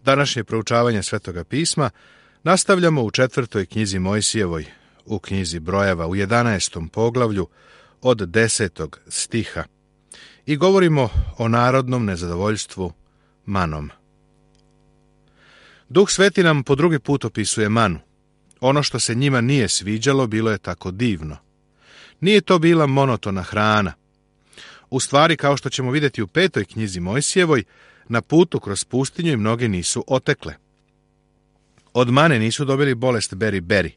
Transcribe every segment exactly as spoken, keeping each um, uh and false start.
Današnje proučavanje Svetoga pisma nastavljamo u četvrtoj knjizi Mojsijevoj, u knjizi Brojeva, u jedanaestom poglavlju od desetog stiha i govorimo o narodnom nezadovoljstvu manom. Duh Sveti nam po drugi put opisuje manu. Ono što se njima nije sviđalo bilo je tako divno. Nije to bila monotona hrana. U stvari, kao što ćemo vidjeti u petoj knjizi Mojsijevoj, na putu kroz pustinju i mnoge nisu otekle. Od mane nisu dobili bolest beri-beri.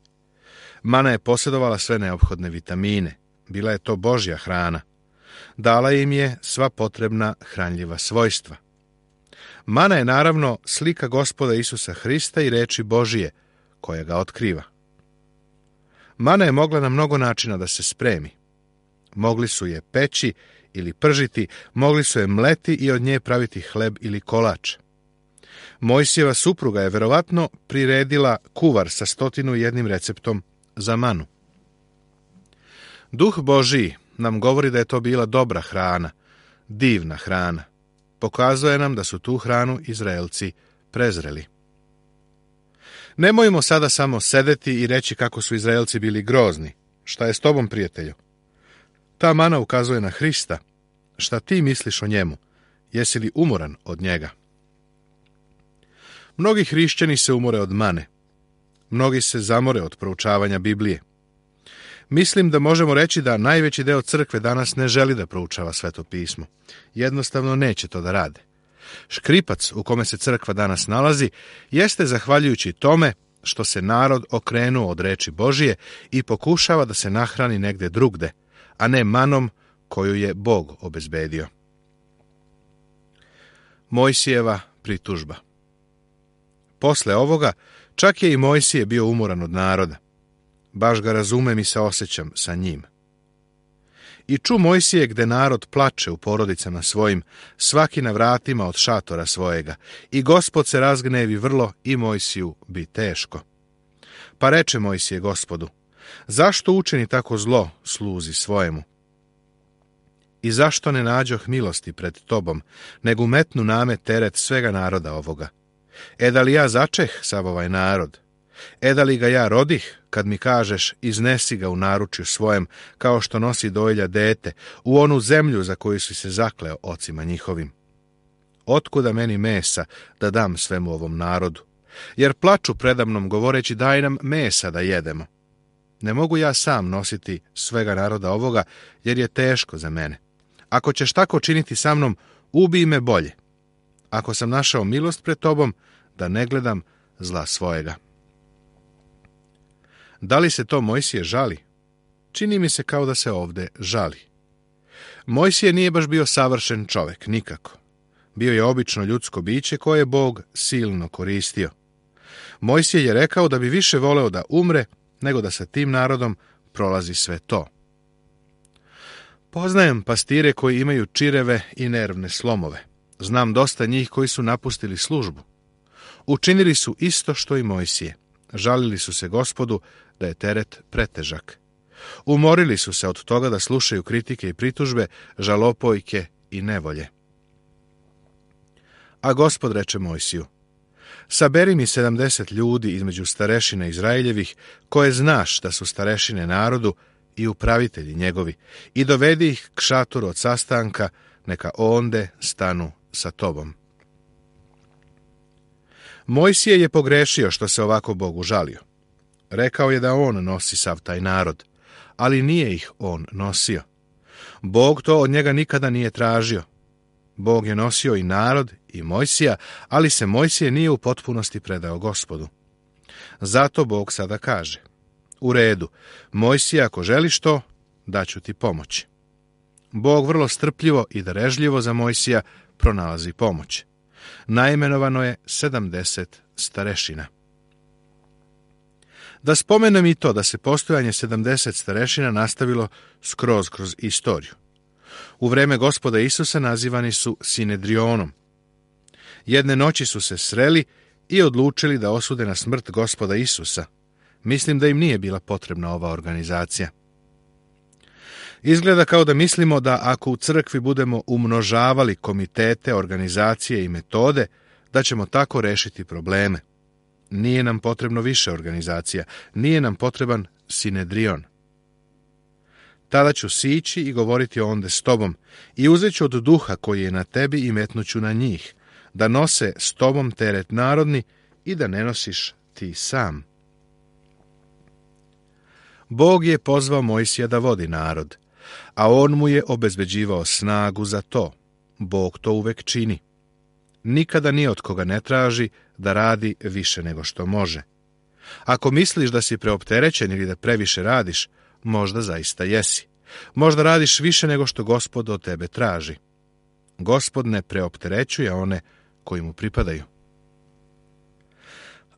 Mana je posjedovala sve neophodne vitamine. Bila je to Božja hrana. Dala im je sva potrebna hranljiva svojstva. Mana je naravno slika Gospoda Isusa Hrista i reči Božije, koja ga otkriva. Mana je mogla na mnogo načina da se spremi. Mogli su je peći ili pržiti, mogli su je mleti i od nje praviti hleb ili kolač. Mojsijeva supruga je verovatno priredila kuvar sa stotinu i jednim receptom za manu. Duh Božiji nam govori da je to bila dobra hrana, divna hrana. Pokazuje nam da su tu hranu Izraelci prezreli. Nemojmo sada samo sedeti i reći kako su Izraelci bili grozni. Šta je s tobom, prijatelju? Ta mana ukazuje na Hrista. Šta ti misliš o njemu? Jesi li umoran od njega? Mnogi hrišćani se umore od mane. Mnogi se zamore od proučavanja Biblije. Mislim da možemo reći da najveći deo crkve danas ne želi da proučava Sveto pismo. Jednostavno neće to da rade. Škripac u kome se crkva danas nalazi jeste zahvaljujući tome što se narod okrenuo od reči Božije i pokušava da se nahrani negde drugde, a ne manom koju je Bog obezbedio. Mojsijeva pritužba. Posle ovoga, čak je i Mojsije bio umoran od naroda. Baš ga razumem i se osjećam sa njim. I ču Mojsije gde narod plače u porodicama svojim, svaki na vratima od šatora svojega, i Gospod se razgnevi vrlo i Mojsiju bi teško. Pa reče Mojsije Gospodu, zašto učini tako zlo sluzi svojemu? I zašto ne nađoh milosti pred tobom, nego metnu name teret svega naroda ovoga? E da li ja začeh sav ovaj narod? E da li ga ja rodih, kad mi kažeš iznesi ga u naručju svojem, kao što nosi dojlja dete, u onu zemlju za koju si se zakleo ocima njihovim? Otkuda meni mesa da dam svemu ovom narodu? Jer plaču predamnom govoreći daj nam mesa da jedemo. Ne mogu ja sam nositi svega naroda ovoga, jer je teško za mene. Ako ćeš tako činiti sa mnom, ubij me bolje. Ako sam našao milost pred tobom, da ne gledam zla svojega. Da li se to Mojsije žali? Čini mi se kao da se ovde žali. Mojsije nije baš bio savršen čovek, nikako. Bio je obično ljudsko biće koje je Bog silno koristio. Mojsije je rekao da bi više voleo da umre, nego da sa tim narodom prolazi sve to. Poznajem pastire koji imaju čireve i nervne slomove. Znam dosta njih koji su napustili službu. Učinili su isto što i Mojsije. Žalili su se Gospodu da je teret pretežak. Umorili su se od toga da slušaju kritike i pritužbe, žalopojke i nevolje. A Gospod reče Mojsiju, saberi mi sedamdeset ljudi između starešina Izraeljevih, koje znaš da su starešine narodu i upravitelji njegovi, i dovedi ih k šatoru od sastanka, neka onde stanu sa tobom. Mojsije je pogrešio što se ovako Bogu žalio. Rekao je da on nosi sav taj narod, ali nije ih on nosio. Bog to od njega nikada nije tražio. Bog je nosio i narod i Mojsija, ali se Mojsije nije u potpunosti predao Gospodu. Zato Bog sada kaže, u redu, Mojsija, ako želiš to, daću ti pomoć. Bog vrlo strpljivo i darežljivo za Mojsija pronalazi pomoć. Naimenovano je sedamdeset starešina. Da spomenem i to da se postojanje sedamdeset starešina nastavilo skroz kroz istoriju. U vreme Gospoda Isusa nazivani su Sinedrionom. Jedne noći su se sreli i odlučili da osude na smrt Gospoda Isusa. Mislim da im nije bila potrebna ova organizacija. Izgleda kao da mislimo da ako u crkvi budemo umnožavali komitete, organizacije i metode, da ćemo tako rešiti probleme. Nije nam potrebno više organizacija, nije nam potreban sinedrion. Tada ću sići i govoriti onda s tobom i uzet ću od duha koji je na tebi i metnuću na njih, da nose s tobom teret narodni i da ne nosiš ti sam. Bog je pozvao Mojsija da vodi narod, a on mu je obezbeđivao snagu za to. Bog to uvek čini. Nikada ni od koga ne traži da radi više nego što može. Ako misliš da si preopterećen ili da previše radiš, možda zaista jesi. Možda radiš više nego što Gospod od tebe traži. Gospod ne preopterećuje one koji mu pripadaju.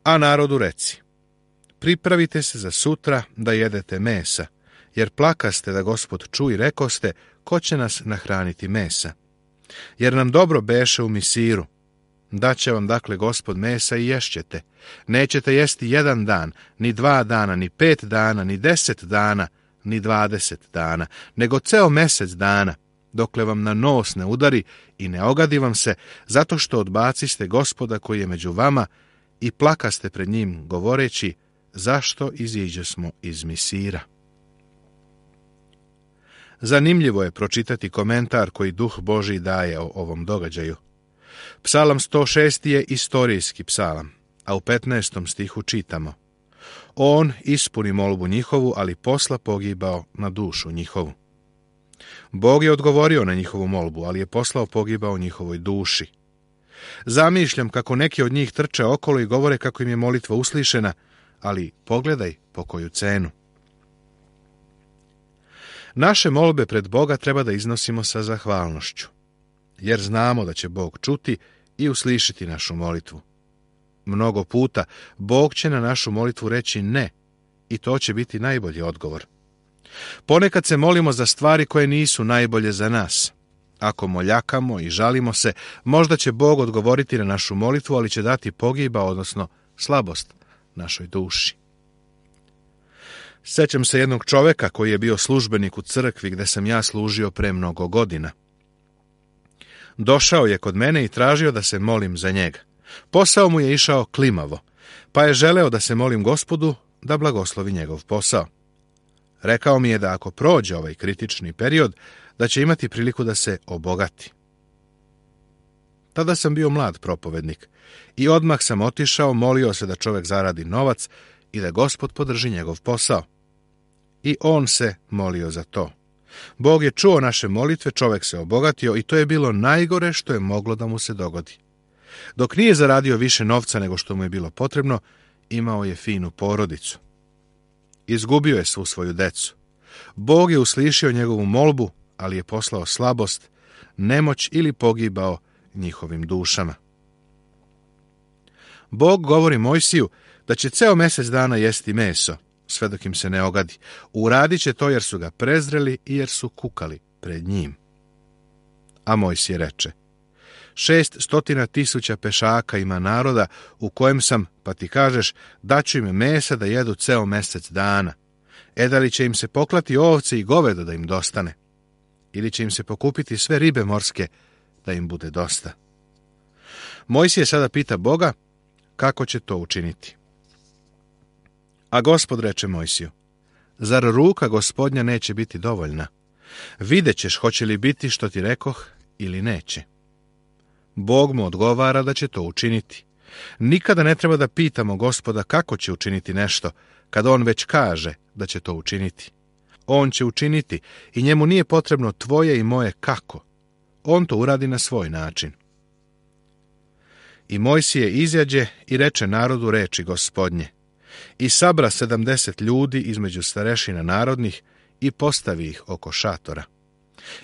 A narodu reci: pripravite se za sutra da jedete mesa, jer plakaste da Gospod ču i rekoste, ko će nas nahraniti mesa? Jer nam dobro beše u Misiru. Daće vam dakle Gospod mesa i ješćete. Nećete jesti jedan dan, ni dva dana, ni pet dana, ni deset dana, ni dvadeset dana, nego ceo mesec dana, dokle vam na nos ne udari i ne ogadi vam se, zato što odbaciste Gospoda koji je među vama i plakaste pred njim, govoreći, zašto iziđe smo iz Misira. Zanimljivo je pročitati komentar koji Duh Božji daje o ovom događaju. Psalam sto šest je istorijski psalam, a u petnaestom stihu čitamo: on ispuni molbu njihovu, ali posla pogibao na dušu njihovu. Bog je odgovorio na njihovu molbu, ali je poslao pogibao njihovoj duši. Zamišljam kako neki od njih trče okolo i govore kako im je molitva uslišena, ali pogledaj po koju cenu. Naše molbe pred Boga treba da iznosimo sa zahvalnošću, jer znamo da će Bog čuti i uslišiti našu molitvu. Mnogo puta Bog će na našu molitvu reći ne, i to će biti najbolji odgovor. Ponekad se molimo za stvari koje nisu najbolje za nas. Ako moljakamo i žalimo se, možda će Bog odgovoriti na našu molitvu, ali će dati pogiba, odnosno slabost, našoj duši. Sećam se jednog čoveka koji je bio službenik u crkvi gde sam ja služio pre mnogo godina. Došao je kod mene i tražio da se molim za njega. Posao mu je išao klimavo, pa je želeo da se molim Gospodu da blagoslovi njegov posao. Rekao mi je da ako prođe ovaj kritični period, da će imati priliku da se obogati. Tada sam bio mlad propovednik i odmah sam otišao, molio se da čovek zaradi novac i da Gospod podrži njegov posao. I on se molio za to. Bog je čuo naše molitve, čovek se obogatio i to je bilo najgore što je moglo da mu se dogodi. Dok nije zaradio više novca nego što mu je bilo potrebno, imao je finu porodicu. Izgubio je svu svoju decu. Bog je uslišio njegovu molbu, ali je poslao slabost, nemoć ili pogibao njihovim dušama. Bog govori Mojsiju da će ceo mesec dana jesti meso, sve dok im se ne ogadi. Uradit će to jer su ga prezreli i jer su kukali pred njim. A Mojsije reče: šest stotina tisuća pešaka ima naroda u kojem sam, pa ti kažeš, daću im mesa da jedu ceo mesec dana. E da li će im se poklati ovce i govedo da im dostane? Ili će im se pokupiti sve ribe morske da im bude dosta? Mojsije sada pita Boga kako će to učiniti. A Gospod reče Mojsiju: zar ruka Gospodnja neće biti dovoljna? Vidjet ćeš hoće li biti što ti rekoh ili neće. Bog mu odgovara da će to učiniti. Nikada ne treba da pitamo Gospoda kako će učiniti nešto, kad on već kaže da će to učiniti. On će učiniti i njemu nije potrebno tvoje i moje kako. On to uradi na svoj način. I Mojsije izađe i reče narodu reči Gospodnje. I sabra sedamdeset ljudi između starešina narodnih i postavi ih oko šatora.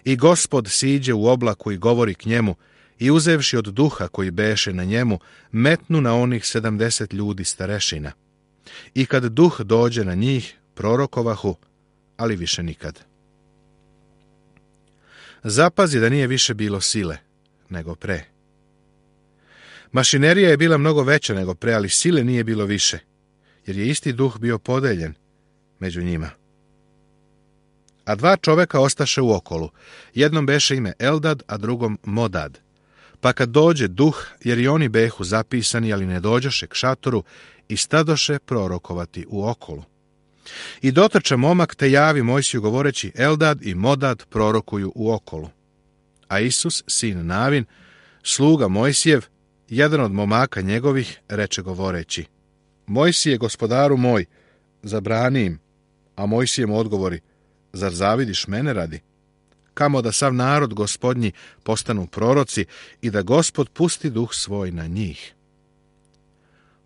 I Gospod siđe u oblaku i govori k njemu, i uzevši od duha koji beše na njemu, metnu na onih sedamdeset ljudi starešina. I kad duh dođe na njih, prorokovahu, ali više nikad. Zapazi da nije više bilo sile, nego pre. Mašinerija je bila mnogo veća nego pre, ali sile nije bilo više, jer je isti duh bio podeljen među njima. A dva čoveka ostaše u okolu. Jednom beše ime Eldad, a drugom Modad. Pa kad dođe duh, jer i oni behu zapisani, ali ne dođoše k šatoru, i stadoše prorokovati u okolu. I dotrča momak, te javi Mojsiju govoreći, Eldad i Modad prorokuju u okolu. A Isus, sin Navin, sluga Mojsijev, jedan od momaka njegovih, reče govoreći, Mojsije, gospodaru moj, zabrani im. A Mojsije mu odgovori, zar zavidiš mene radi? Kamo da sav narod gospodnji postanu proroci i da Gospod pusti duh svoj na njih.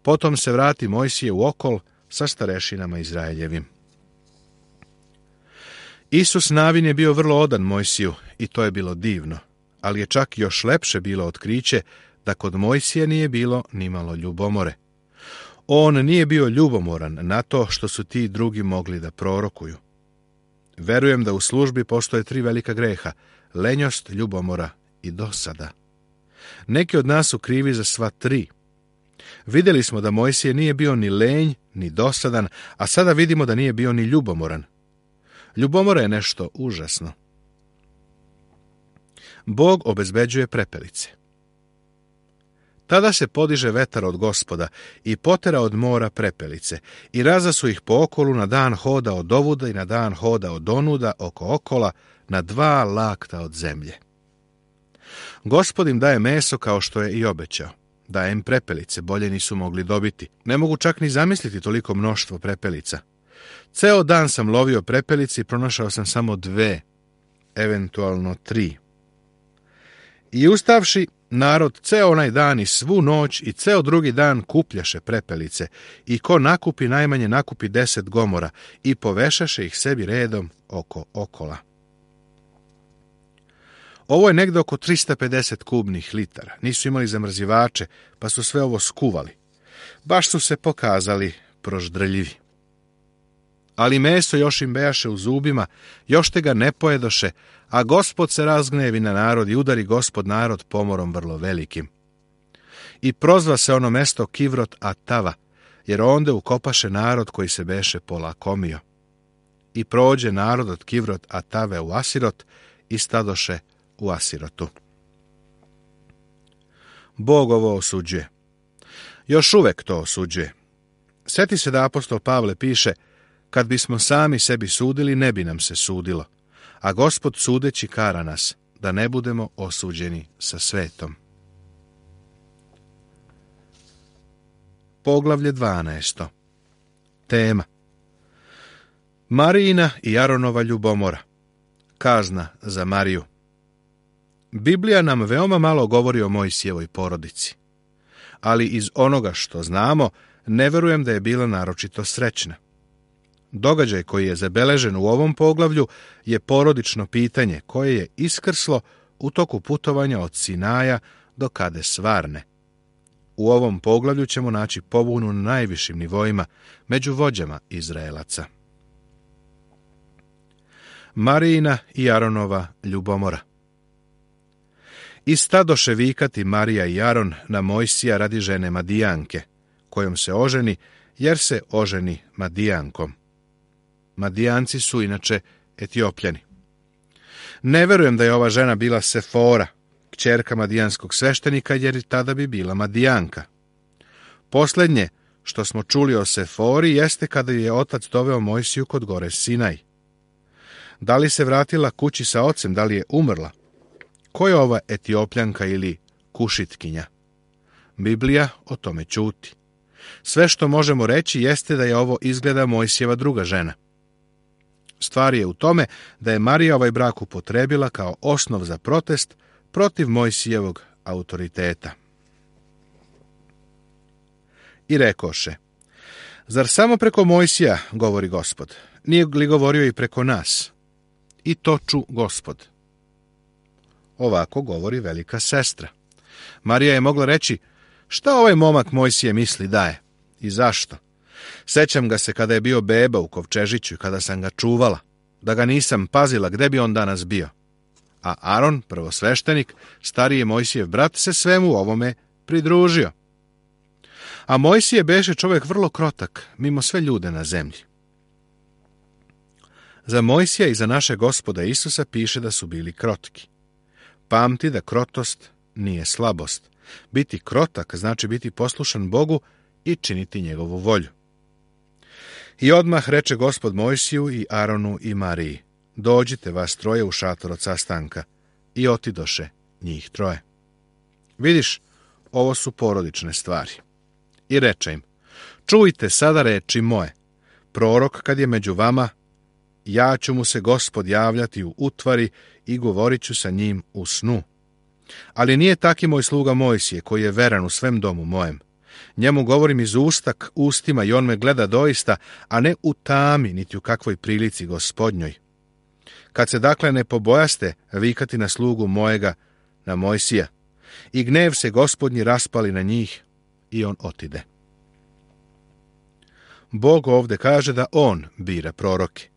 Potom se vrati Mojsije u okol sa starešinama Izraeljevim. Isus Navin je bio vrlo odan Mojsiju i to je bilo divno, ali je čak još lepše bilo otkriće da kod Mojsije nije bilo nimalo ljubomore. On nije bio ljubomoran na to što su ti drugi mogli da prorokuju. Verujem da u službi postoje tri velika greha, lenjost, ljubomora i dosada. Neki od nas su krivi za sva tri. Vidjeli smo da Mojsije nije bio ni lenj, ni dosadan, a sada vidimo da nije bio ni ljubomoran. Ljubomora je nešto užasno. Bog obezbeđuje prepelice. Tada se podiže vetar od Gospoda i potera od mora prepelice i razasu ih po okolu na dan hoda od ovuda i na dan hoda od onuda oko okola na dva lakta od zemlje. Gospod im daje meso kao što je i obećao. Daje im prepelice, bolje nisu mogli dobiti. Ne mogu čak ni zamisliti toliko mnoštvo prepelica. Ceo dan sam lovio prepelice i pronašao sam samo dve, eventualno tri. I ustavši, narod ceo onaj dan i svu noć i ceo drugi dan kupljaše prepelice i ko nakupi najmanje nakupi deset gomora i povešaše ih sebi redom oko okola. Ovo je negde oko trista pedeset kubnih litara. Nisu imali zamrzivače, pa su sve ovo skuvali. Baš su se pokazali proždrljivi. Ali meso još im bejaše u zubima, još te ga ne pojedoše, a Gospod se razgnevi na narod i udari Gospod narod pomorom vrlo velikim. I prozva se ono mesto Kivrot Atava, jer onda ukopaše narod koji se beše polakomio. I prođe narod od Kivrot Atave u Asirot i stadoše u Asirotu. Bog ovo osuđuje. Još uvek to osuđuje. Sjeti se da apostol Pavle piše, kad bismo sami sebi sudili, ne bi nam se sudilo, a Gospod sudeći kara nas, da ne budemo osuđeni sa svetom. Poglavlje dvanaesto. Tema: Marijina i Aronova ljubomora. Kazna za Mariju. Biblija nam veoma malo govori o Mojsijevoj porodici, ali iz onoga što znamo, ne verujem da je bila naročito srećna. Događaj koji je zabeležen u ovom poglavlju je porodično pitanje koje je iskrslo u toku putovanja od Sinaja do Kades Varne. U ovom poglavlju ćemo naći pobunu na najvišim nivoima među vođama Izraelaca. Marijina i Aronova ljubomora. I stadoše vikati Marija i Aron na Mojsija radi žene Madijanke, kojom se oženi, jer se oženi Madijankom. Madijanci su inače Etiopljani. Ne verujem da je ova žena bila Sefora, kćerka madijanskog sveštenika, jer tada bi bila Madijanka. Posljednje što smo čuli o Sefori jeste kada je otac doveo Mojsiju kod gore Sinaj. Da li se vratila kući sa ocem, da li je umrla? Ko je ova Etiopljanka ili Kušitkinja? Biblija o tome ćuti. Sve što možemo reći jeste da je ovo izgleda Mojsijeva druga žena. Stvar je u tome da je Marija ovaj brak upotrebila kao osnov za protest protiv Mojsijevog autoriteta. I rekoše, zar samo preko Mojsija govori Gospod? Nije li govorio i preko nas? I to ču Gospod. Ovako govori velika sestra. Marija je mogla reći, šta ovaj momak Mojsije misli da je? I zašto? Sećam ga se kada je bio beba u kovčežiću i kada sam ga čuvala. Da ga nisam pazila, gde bi on danas bio? A Aron, prvosveštenik, stariji Mojsijev brat, se svemu ovome pridružio. A Mojsije beše čovjek vrlo krotak, mimo sve ljude na zemlji. Za Mojsija i za naše Gospoda Isusa piše da su bili krotki. Pamti da krotost nije slabost. Biti krotak znači biti poslušan Bogu i činiti njegovu volju. I odmah reče Gospod Mojsiju i Aronu i Mariji: dođite vas troje u šator od sastanka. I otidoše njih troje. Vidiš, ovo su porodične stvari. I reče im: čujte sada reči moje. Prorok kad je među vama, ja ću mu se Gospod javljati u utvari i govorit ću sa njim u snu. Ali nije taki moj sluga Mojsije, koji je veran u svem domu mojem. Njemu govorim iz ustak ustima i on me gleda doista, a ne u tami, niti u kakvoj prilici Gospodnjoj. Kad se dakle ne pobojaste vikati na slugu mojega, na Mojsija, i gnev se Gospodnji raspali na njih, i on otide. Bog ovdje kaže da on bira proroke.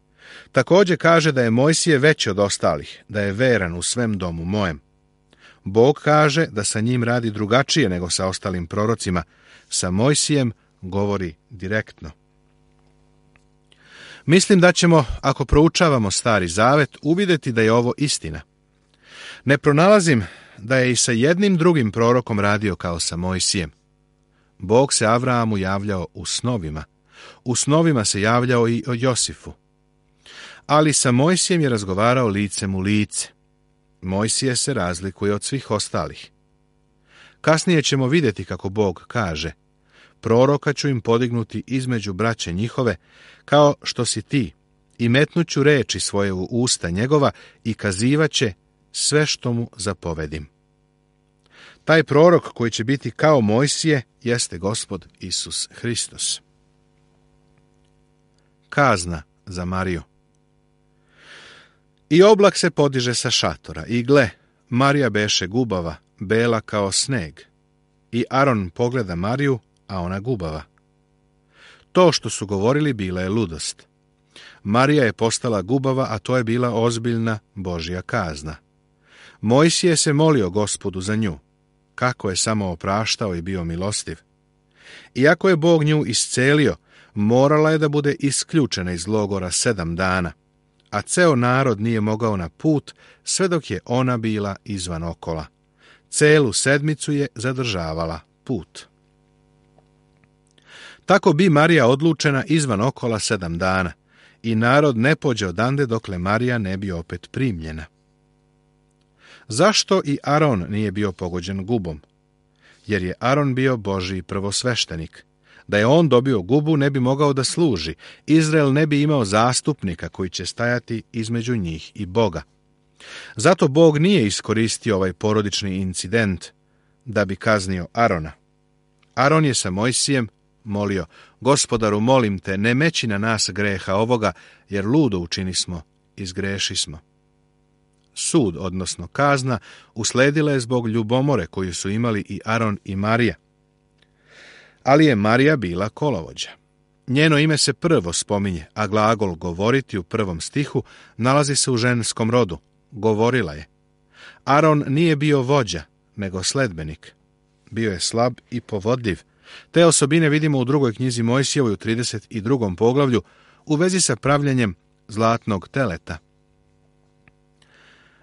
Također kaže da je Mojsije veći od ostalih, da je veran u svem domu mojem. Bog kaže da sa njim radi drugačije nego sa ostalim prorocima. Sa Mojsijem govori direktno. Mislim da ćemo, ako proučavamo Stari Zavet, uvidjeti da je ovo istina. Ne pronalazim da je i sa jednim drugim prorokom radio kao sa Mojsijem. Bog se Avrahamu javljao u snovima. U snovima se javljao i o Josifu. Ali sa Mojsijem je razgovarao licem u lice. Mojsije se razlikuje od svih ostalih. Kasnije ćemo vidjeti kako Bog kaže: proroka ću im podignuti između braće njihove, kao što si ti, i metnuću reči svoje u usta njegova i kazivaće sve što mu zapovedim. Taj prorok koji će biti kao Mojsije jeste Gospod Isus Hristos. Kazna za Mariju. I oblak se podiže sa šatora, i gle, Marija beše gubava, bela kao sneg. I Aron pogleda Mariju, a ona gubava. To što su govorili bila je ludost. Marija je postala gubava, a to je bila ozbiljna Božja kazna. Mojsije se molio Gospodu za nju, kako je samo opraštao i bio milostiv. Iako je Bog nju iscelio, morala je da bude isključena iz logora sedam dana, a ceo narod nije mogao na put sve dok je ona bila izvan okola. Celu sedmicu je zadržavala put. Tako bi Marija odlučena izvan okola sedam dana, i narod ne pođe odande dokle Marija ne bi opet primljena. Zašto i Aron nije bio pogođen gubom? Jer je Aron bio Božji prvosveštenik. Da je on dobio gubu, ne bi mogao da služi. Izrael ne bi imao zastupnika koji će stajati između njih i Boga. Zato Bog nije iskoristio ovaj porodični incident da bi kaznio Arona. Aron je sa Mojsijem molio: Gospodaru, molim te, ne meći na nas greha ovoga, jer ludo učinismo i zgrešismo. Sud, odnosno kazna, usledila je zbog ljubomore koju su imali i Aron i Marija. Ali je Marija bila kolovođa. Njeno ime se prvo spominje, a glagol govoriti u prvom stihu nalazi se u ženskom rodu. Govorila je. Aron nije bio vođa, nego sledbenik. Bio je slab i povodljiv. Te osobine vidimo u drugoj knjizi Mojsijevoj u trideset drugom poglavlju u vezi sa pravljenjem zlatnog teleta.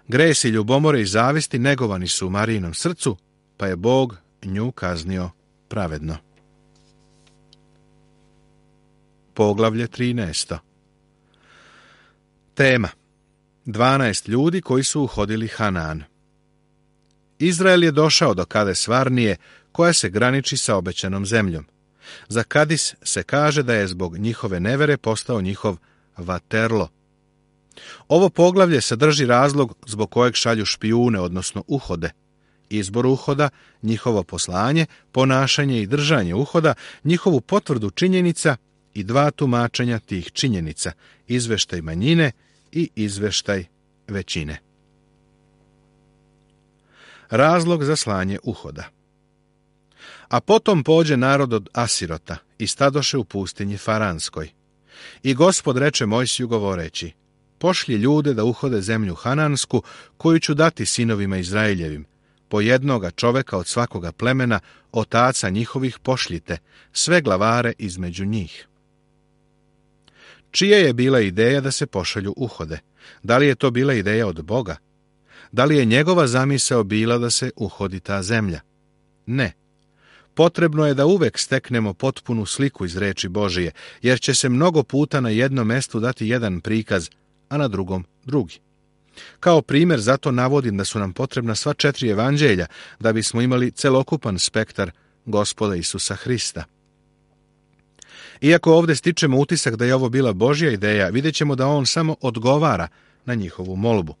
Gresi ljubomore i zavisti negovani su u Marijinom srcu, pa je Bog nju kaznio pravedno. Poglavlje trinaesto. Tema: dvanaest ljudi koji su uhodili Hanan. Izrael je došao do Kades Varnije, koja se graniči sa obećanom zemljom. Za Kadis se kaže da je zbog njihove nevere postao njihov Vaterlo. Ovo poglavlje sadrži razlog zbog kojeg šalju špijune, odnosno uhode. Izbor uhoda, njihovo poslanje, ponašanje i držanje uhoda, njihovu potvrdu činjenica i dva tumačenja tih činjenica, izveštaj manjine i izveštaj većine. Razlog za slanje uhoda. A potom pođe narod od Asirota i stadoše u pustinji Faranskoj. I Gospod reče Mojsiju govoreći: pošlji ljude da uhode zemlju Hanansku, koju ću dati sinovima Izraeljevim. Po jednoga čoveka od svakoga plemena, otaca njihovih pošljite, sve glavare između njih. Čija je bila ideja da se pošalju uhode? Da li je to bila ideja od Boga? Da li je njegova zamisao bila da se uhodi ta zemlja? Ne. Potrebno je da uvek steknemo potpunu sliku iz reči Božije, jer će se mnogo puta na jednom mestu dati jedan prikaz, a na drugom drugi. Kao primjer zato navodim da su nam potrebna sva četiri evanđelja da bismo imali celokupan spektar Gospoda Isusa Hrista. Iako ovdje stičemo utisak da je ovo bila Božja ideja, vidjet ćemo da on samo odgovara na njihovu molbu.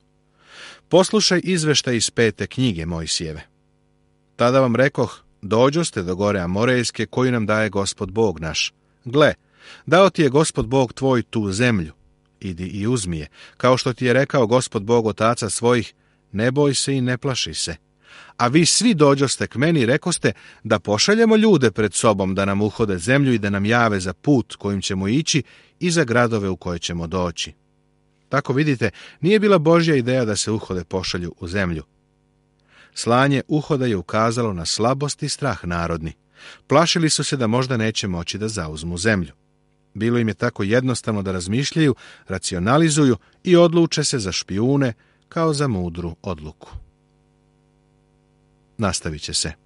Poslušaj izveštaj iz pete knjige Mojsijeve. Tada vam rekoh, dođoste do gore Amorejske koju nam daje Gospod Bog naš. Gle, dao ti je Gospod Bog tvoj tu zemlju. Idi i uzmi je, kao što ti je rekao Gospod Bog otaca svojih, ne boj se i ne plaši se. A vi svi dođoste k meni i rekoste da pošaljemo ljude pred sobom da nam uhode zemlju i da nam jave za put kojim ćemo ići i za gradove u koje ćemo doći. Tako vidite, nije bila Božja ideja da se uhode pošalju u zemlju. Slanje uhoda je ukazalo na slabost i strah narodni. Plašili su se da možda neće moći da zauzmu zemlju. Bilo im je tako jednostavno da razmišljaju, racionalizuju i odluče se za špijune kao za mudru odluku. Nastavit će se.